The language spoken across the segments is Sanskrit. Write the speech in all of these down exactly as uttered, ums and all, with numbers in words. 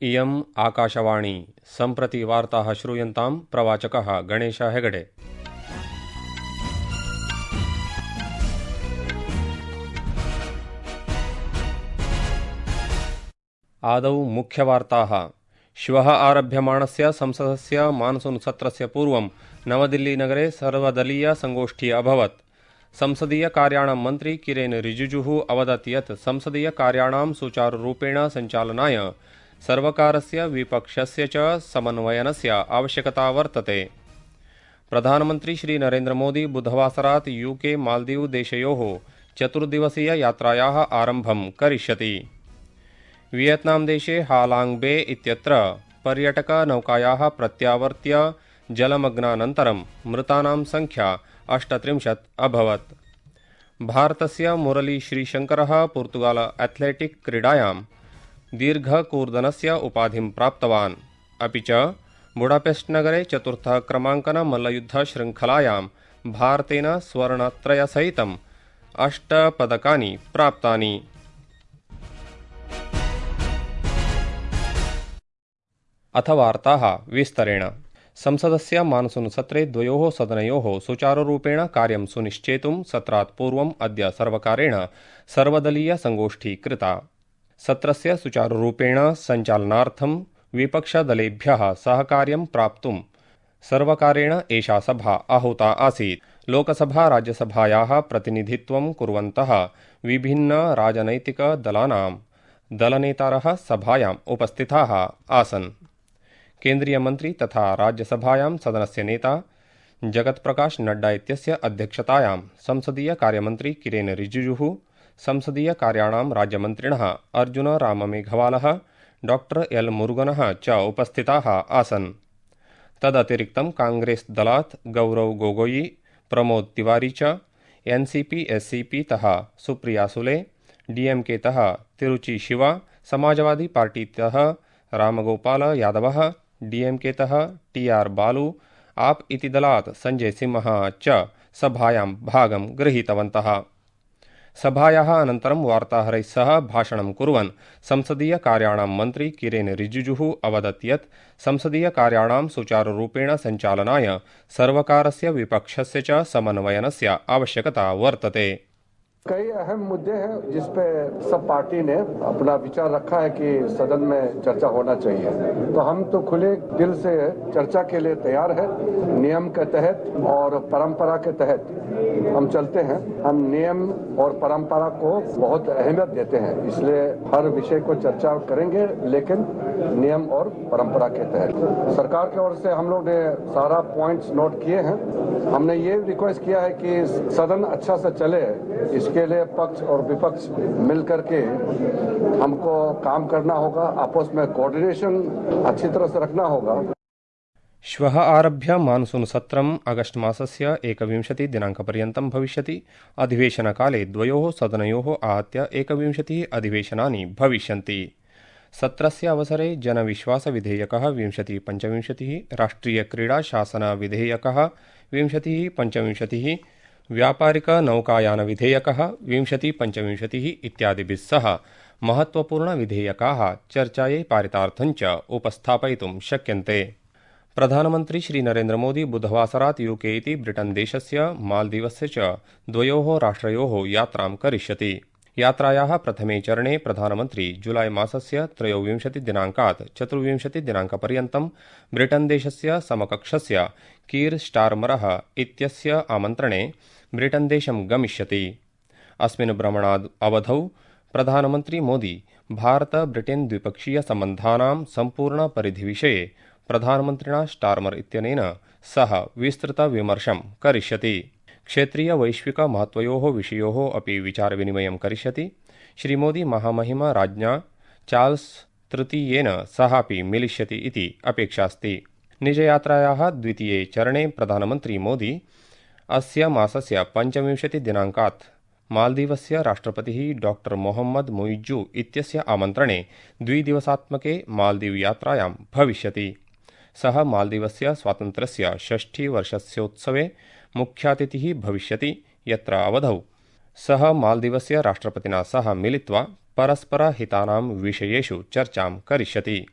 इयम् आकाशवाणी सम्प्रति वार्ताः श्रूयन्तां प्रवाचकः गणेश हेगडे। आदौ मुख्यवार्ताः। श्वः आरभ्यमाणस्य संसदस्य मानसून सत्रस्य पूर्वं नवदिल्लीनगरे सर्वदलीय संगोष्ठी अभवत्। संसदीय कार्याणां मन्त्री किरेन रिजिजुः अवदत् यत् संसदीय कार्याणां सुचारुरूपेण सञ्चालनाय सर्वकारस्य विपक्षस्य च समन्वयनस्य आवश्यकता वर्तते। प्रधानमन्त्री श्री नरेन्द्र मोदी बुधवासरात् यूके मालदीव देशयोः चतुर्दिवसीय यात्रायाः आरम्भं करिष्यति। वियतनाम देशे हालांग बे इत्यत्र पर्यटकनौकायाः प्रत्यावर्त्य जलमग्नानन्तरं मृतानां संख्या अष्टत्रिंशत् अभवत्। भारतस्य मुरली श्रीशंकरः पोर्तुगाल एथलेटिक् क्रीडायां दीर्घकूर्दनस्य उपाधिं प्राप्तवान्। अपि च बुडापेस्ट नगरे चतुर्थः क्रमाङ्कन मल्लयुद्धशृङ्खलायां भारतेन स्वर्णत्रयसहितम् अष्ट पदकानि प्राप्तानि। अथ वार्ताः विस्तरेण। संसदस्य मानसूनसत्रे द्वयोः सदनयोः सुचारुरूपेण कार्यं सुनिश्चेतुं सत्रात् पूर्वम् अद्य सर्वकारेण सर्वदलीय संगोष्ठी कृता। सत्रस्य सुचारुरूपेण सञ्चालनार्थं विपक्षदलेभ्यः सहकार्यं प्राप्तुं सर्वकारेण एषा सभा आहूता आसीत्। लोकसभा राज्यसभायाः प्रतिनिधित्वं कुर्वन्तः विभिन्नराजनैतिकदलानां दलनेतारः सभायाम् उपस्थिताः आसन्। केन्द्रीयमन्त्री तथा राज्यसभायां सदनस्य नेता जगत्प्रकाश नड्डा इत्यस्य अध्यक्षतायां संसदीय कार्यमन्त्री किरेन रिजिजुः, संसदीय कार्याणां राज्यमन्त्रिणः अर्जुन राममेघवालः, डॉक्टर एल मुरुगनः च उपस्थिताः आसन्। तदतिरिक्तं कांग्रेस दलात् गौरव गोगोई, प्रमोद तिवारी च, एनसीपी एससीपी तः सुप्रिया सुले, डीएमके तः तिरुचि शिवा, समाजवादी पार्टीतः रामगोपाल यादवः, डीएमके तः टीआर बालू, आप इति दलात् संजय सिंहः च सभायां भागं गृहीतवन्तः। सभायाः अनन्तरं वार्ताहरैः सह भाषणं कुर्वन् संसदीय कार्याणां मन्त्री किरेन रिजिजुः अवदत् यत् संसदीय कार्याणां सुचारुरूपेण सञ्चालनाय सर्वकारस्य विपक्षस्य च समन्वयनस्य आवश्यकता वर्तते। कई अहम मुद्दे हैं जिस पे सब पार्टी ने अपना विचार रखा है कि सदन में चर्चा होना चाहिए, तो हम तो खुले दिल से चर्चा के लिए तैयार है। नियम के तहत और परंपरा के तहत हम चलते हैं। हम नियम और परंपरा को बहुत अहमियत देते हैं, इसलिए हर विषय को चर्चा करेंगे, लेकिन नियम और परंपरा के तहत। सरकार की ओर से हम लोग ने सारा पॉइंट्स नोट किए हैं। हमने ये रिक्वेस्ट किया है कि सदन अच्छा से चले, इसके लिए पक्ष और विपक्ष मिलकर के हमको काम करना होगा, आपस में कोऑर्डिनेशन अच्छी तरह से रखना होगा। श्वः आरभ्य मानसून सत्रम् अगस्ट मासस्य एकविंशति दिनाङ्कपर्यन्तं भविष्यति। अधिवेशनकाले द्वयोः सदनयोः आहत्य एकविंशतिः अधिवेशनानि भविष्यन्ति। सत्रस्य अवसरे जनविश्वासविधेयकः विंशतिः पञ्चविंशतिः, राष्ट्रियक्रीडाशासनविधेयकः विंशतिः पञ्चविंशतिः, व्यापारिकनौकायानविधेयकः विंशतिः पञ्चविंशतिः इत्यादिभिः सह महत्त्वपूर्णविधेयकाः चर्चायै पारितार्थं च उपस्थापयितुं शक्यन्ते। प्रधानमन्त्री श्री नरेन्द्र मोदी बुधवासरात् यूके इति ब्रिटन् देशस्य मालदीवस्य च द्वयोः राष्ट्रयोः यात्रां करिष्यति। यात्रायाः प्रथमे चरणे प्रधानमन्त्री जुलाई मासस्य त्रयोविंशतिदिनाङ्कात् चतुर्विंशतिदिनाङ्कपर्यन्तं ब्रिटन् देशस्य समकक्षस्य कीर् स्टार्मरः इत्यस्य आमन्त्रणे ब्रिटन् देशं गमिष्यति। अस्मिन् भ्रमणाद् अवधौ प्रधानमन्त्री मोदी भारत ब्रिटेन् द्विपक्षीय सम्बन्धानां सम्पूर्णपरिधिविषये प्रधानमन्त्रिणा स्टार्मर इत्यनेन सह विस्तृतविमर्शं करिष्यति। क्षेत्रीय वैश्विक महत्वयोः विषयोः अपि विचारविनिमयं करिष्यति। श्रीमोदी महामहिम राज्ञा चार्ल्स तृतीयेन सहापि मिलिष्यति इति अपेक्षास्ति। निजयात्रायाः द्वितीये चरणे प्रधानमन्त्री मोदी अस्य मासस्य पञ्चविंशतिदिनाङ्कात् मालदीवस्य राष्ट्रपतिः डॉक्टर मोहम्मद मुइज्जू इत्यस्य आमन्त्रणे द्विदिवसात्मके मालदीव यात्रायां भविष्यति। सः मालदीवस्य स्वातन्त्र्यस्य षष्ठीवर्षस्योत्सवे मुख्यातिथिः भविष्यति, यत्र अवधौ सः मालदीवस्य राष्ट्रपतिना सह मिलित्वा परस्परहितानां विषयेषु चर्चां करिष्यति।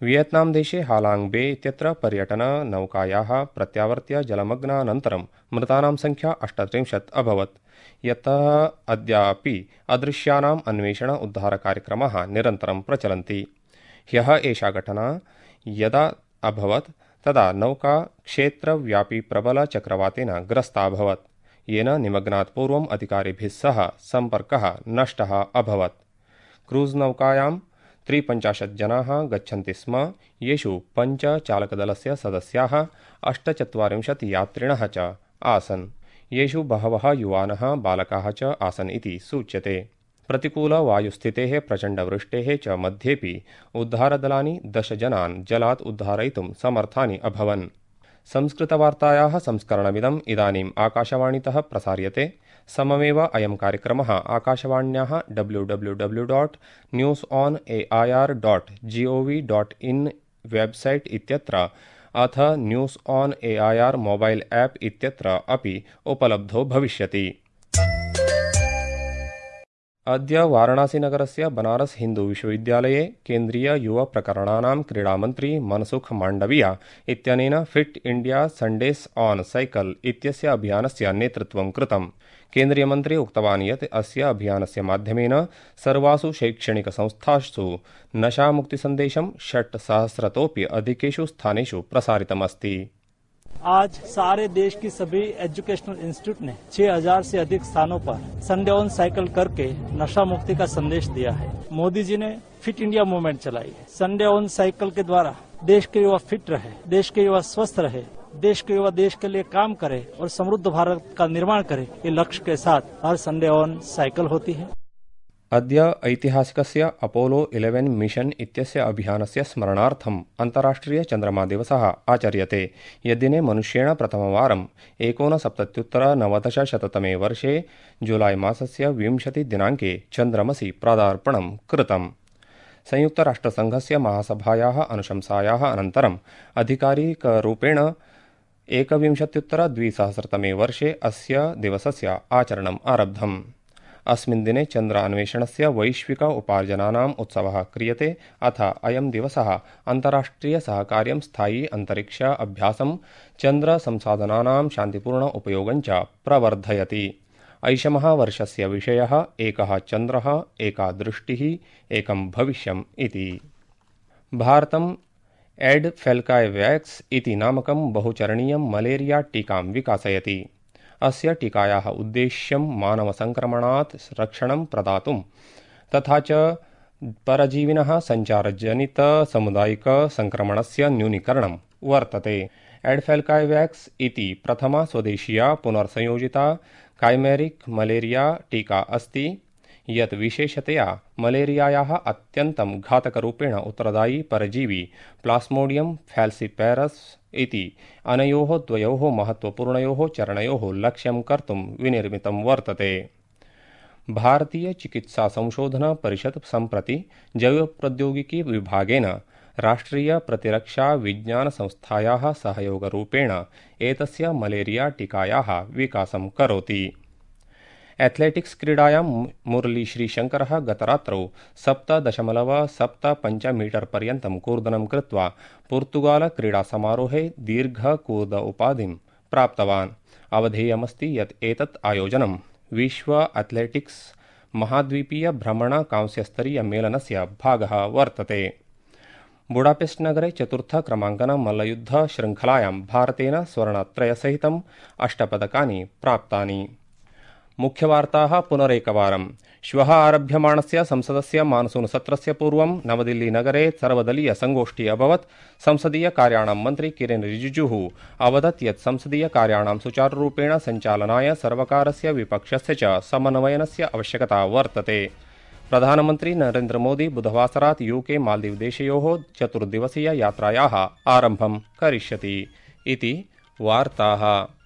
वियतनाम देशे हालांग बे इत्यत्र पर्यटननौकायाः प्रत्यावर्त्य जलमग्नानन्तरं मृतानां संख्या अष्टत्रिंशत् अभवत्, यतः अद्यापि अदृश्यानाम् अन्वेषण उद्धारकार्यक्रमाः निरन्तरं प्रचलन्ति। ह्यः एषा घटना यदा अभवत् तदा नौका क्षेत्रव्यापी प्रबलचक्रवातेन ग्रस्ता अभवत्, येन निमग्नात् पूर्वम् अधिकारिभिः सह सम्पर्कः नष्टः अभवत्। क्रूज नौकायां त्रिपञ्चाशत् जनाः गच्छन्ति स्म, येषु पञ्च चालकदलस्य सदस्याः, अष्टचत्वारिंशत् यात्रिणः च आसन्, येषु बहवः युवानः बालकाः च आसन् इति सूच्यते। प्रतिकूलवायुस्थितेः प्रचण्डवृष्टेः च मध्येपि उद्धारदलानि दश जनान् जलात् उद्धारयितुं समर्थानि अभवन्। संस्कृतवार्तायाः संस्करणमिदम् इदानीम् आकाशवाणीतः प्रसार्यते। सममेव अयं कार्यक्रमः आकाशवाण्याः W W W dot news on A I R dot G O V dot in website इत्यत्र अथ news on A I R mobile app इत्यत्र अपि उपलब्धो भविष्यति। अद्य वाराणसीनगरस्य बनारस हिन्दू विश्वविद्यालये केन्द्रीय युव प्रकरणानां क्रीडामन्त्री मनसुख माण्डविया इत्यनेन फिट् इण्डिया सण्डेस् आन् साइकल् इत्यस्य अभियानस्य नेतृत्वं कृतम्। केन्द्रीयमन्त्री उक्तवान् यत् अस्य अभियानस्य माध्यमेन सर्वासु शैक्षणिकसंस्थासु नशामुक्तिसन्देशं षट् सहस्रतोऽपि अधिकेषु स्थानेषु प्रसारितमस्ति। आज सारे देश की सभी एजुकेशनल इंस्टीट्यूट ने छह हज़ार से अधिक स्थानों पर संडे ऑन साइकिल करके नशा मुक्ति का संदेश दिया है। मोदी जी ने फिट इंडिया मूवमेंट चलाई है। संडे ऑन साइकिल के द्वारा देश के युवा फिट रहे, देश के युवा स्वस्थ रहे, देश के युवा देश के लिए काम करे और समृद्ध भारत का निर्माण करे, ये लक्ष्य के साथ हर संडे ऑन साइकिल होती है। अद्य ऐतिहासिकस्य अपोलो इलेवेन् मिशन् इत्यस्य अभियानस्य स्मरणार्थम् अन्ताराष्ट्रिय चन्द्रमा दिवसः आचर्यते। यद्दिने मनुष्येण प्रथमवारम् एकोनसप्तत्युत्तरनवदशशततमे वर्षे जुलाई मासस्य विंशतिदिनाङ्के चन्द्रमसि पदार्पणं कृतम्। संयुक्तराष्ट्रसङ्घस्य महासभायाः अनुशंसायाः अनन्तरम् आधिकारिकरूपेण एकविंशत्युत्तरद्विसहस्रतमे वर्षे अस्य दिवसस्य आचरणम् आरब्धम्। अस्मिन् दिने चन्द्र अन्वेषणस्य वैश्विक उपार्जनानाम् उत्सवः क्रियते। अथ अयं दिवसः अन्ताराष्ट्रियसहकार्यं स्थायी अन्तरिक्ष अभ्यासं चन्द्र संसाधनानां शान्तिपूर्ण उपयोगं च प्रवर्धयति। ऐषमः वर्षस्य विषयः एकः चन्द्रः, एका दृष्टिः, एकं भविष्यम् इति। भारतम् एड् फेल्कायवैक्स् इति नामकं बहुचरणीयं मलेरिया टीकां विकासयति। अस्य टीकायाः उद्देश्यं मानवसङ्क्रमणात् रक्षणं प्रदातुं तथा च परजीविनः सञ्चारजनितसामुदायिकसङ्क्रमणस्य न्यूनीकरणं वर्तते। एड्फेल्कायवैक्स् इति प्रथमा स्वदेशीया पुनर्संयोजिता काइमेरिक् मलेरिया टीका अस्ति, यत् विशेषतया मलेरियायाः अत्यन्तं घातकरूपेण उत्तरदायी परजीवी प्लास्मोडियम फैल्सिपैरस् इति अनयोः द्वयोः महत्वपूर्णयोः चरणयोः लक्ष्यं कर्तुं विनिर्मितं वर्तते। भारतीय चिकित्सा संशोधन परिषत् सम्प्रति जैवप्रौद्योगिकी विभागेन राष्ट्रिय प्रतिरक्षा विज्ञान संस्थायाः सहयोगरूपेण एतस्य मलेरिया टीकायाः विकासं करोति। एथलेटिक्स क्रीडायां मुरली श्रीशंकरः गतरात्रौ सप्त दशमलव सप्त पञ्च मीटर् पर्यन्तं कूर्दनं कृत्वा पोर्तुगाल क्रीडासमारोहे दीर्घकूर्द उपाधिं प्राप्तवान्। अवधेयमस्ति यत् एतत् आयोजनं विश्व एथलेटिक्स महाद्वीपीय भ्रमण कांस्यस्तरीय मेलनस्य भागः वर्तते। बुडापेस्ट नगरे चतुर्थ क्रमाङ्कन मल्लयुद्ध शृङ्खलायां भारतेन स्वर्णत्रयसहितम् अष्टपदकानि प्राप्तानि। मुख्यवार्ताः पुनरेकवारम्। श्वः आरभ्यमाणस्य संसदस्य मानसूनसत्रस्य पूर्वं नवदिल्लीनगरे सर्वदलीय संगोष्ठी अभवत्। संसदीय कार्याणां मन्त्री किरेन रिजिजुः अवदत् यत् संसदीय कार्याणां सुचारुरूपेण सञ्चालनाय सर्वकारस्य विपक्षस्य च समन्वयनस्य आवश्यकता वर्तते। प्रधानमन्त्री नरेन्द्र मोदी बुधवासरात् यूके मालदीव देशयोः चतुर्दिवसीय यात्रायाः आरम्भं करिष्यति इति वार्ताः।